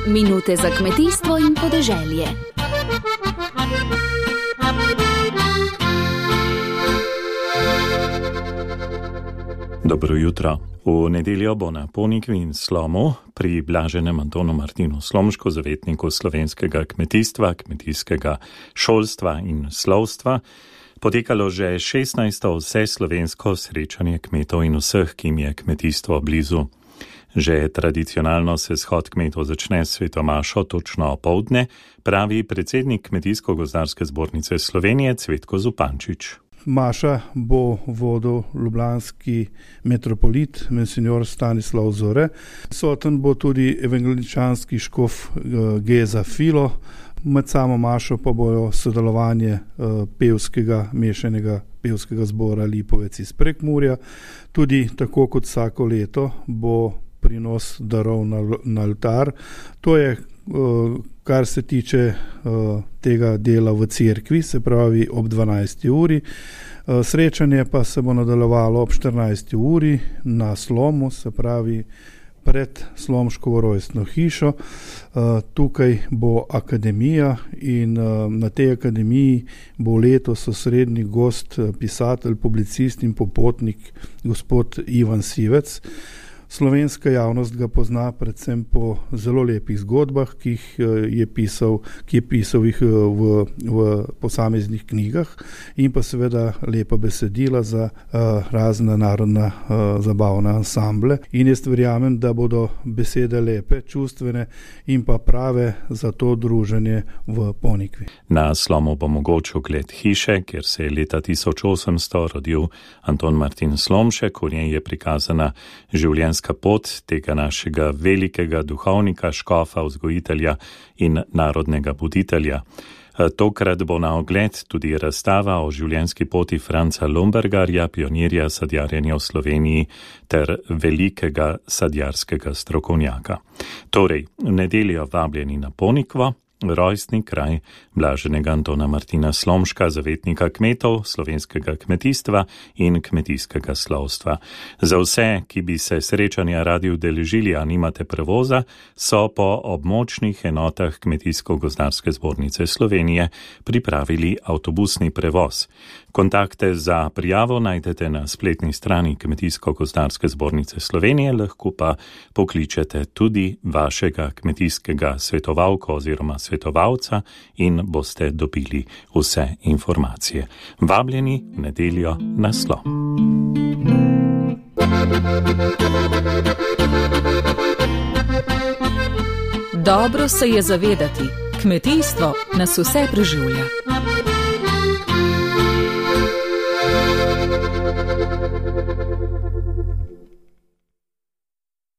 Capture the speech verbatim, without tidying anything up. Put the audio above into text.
Minute za kmetijstvo in podeželje. Dobro jutro. V nedeljo bo na Ponikvi in Slomu pri blaženem Antonu Martinu Slomšku, zavetniku slovenskega kmetijstva, kmetijskega šolstva in slovstva, potekalo že šestnajsto vseslovensko srečanje kmetov in vseh, ki jim je kmetijstvo blizu. Že tradicionalno se shod kmetov začne s svetomašo točno opoldne, pravi predsednik Kmetijsko-gozdarske zbornice Slovenije Cvetko Zupančič. Maša bo vodil ljubljanski metropolit, monsignor Stanislav Zore. Soten bo tudi evangeličanski škof Geza Filo. Med samo mašo pa bojo sodelovanje pevskega, mešanega pevskega zbora Lipovec iz Prekmurja. Tudi tako kot vsako leto bo prinos darov na, na oltar. To je, kar se tiče tega dela v cerkvi, se pravi ob dvanajsti uri. Srečanje pa se bo nadaljevalo ob štirinajsti uri na Slomu, se pravi pred Slomškovo rojstno hišo. Tukaj bo akademija in na tej akademiji bo letos osrednji gost, pisatelj, publicist in popotnik gospod Ivan Sivec. Slovenska javnost ga pozna predvsem po zelo lepih zgodbah, ki jih je pisal, ki je pisal jih v, v posameznih knjigah, in pa seveda lepa besedila za uh, razna narodna uh, zabavna ansamble. In jaz verjamem, da bodo besede lepe, čustvene in pa prave za to druženje v Ponikvi. Na Slomu bo mogoč ogled hiše, kjer se je leta tisoč osemsto rodil Anton Martin Slomšek, v njej je prikazana življenjska pot tega našega velikega duhovnika, škofa, vzgojitelja in narodnega buditelja. Tokrat bo na ogled tudi razstava o življenjski poti Franca Lombergarja, pionirja sadjarjenja v Sloveniji ter velikega sadjarskega strokovnjaka. Torej, v nedeljo vabljeni na Ponikvo, rojstni kraj blaženega Antona Martina Slomška, zavetnika kmetov, slovenskega kmetijstva in kmetijskega slovstva. Za vse, ki bi se srečanja radi udeležili, a nimate prevoza, so po območnih enotah Kmetijsko-gozdarske zbornice Slovenije pripravili avtobusni prevoz. Kontakte za prijavo najdete na spletni strani Kmetijsko-gozdarske zbornice Slovenije, lahko pa pokličete tudi vašega kmetijskega svetovalka oziroma svetovalca in boste dobili vse informacije. Vabljeni v nedeljo na Slom. Dobro se je zavedati, kmetijstvo nas vse preživlja.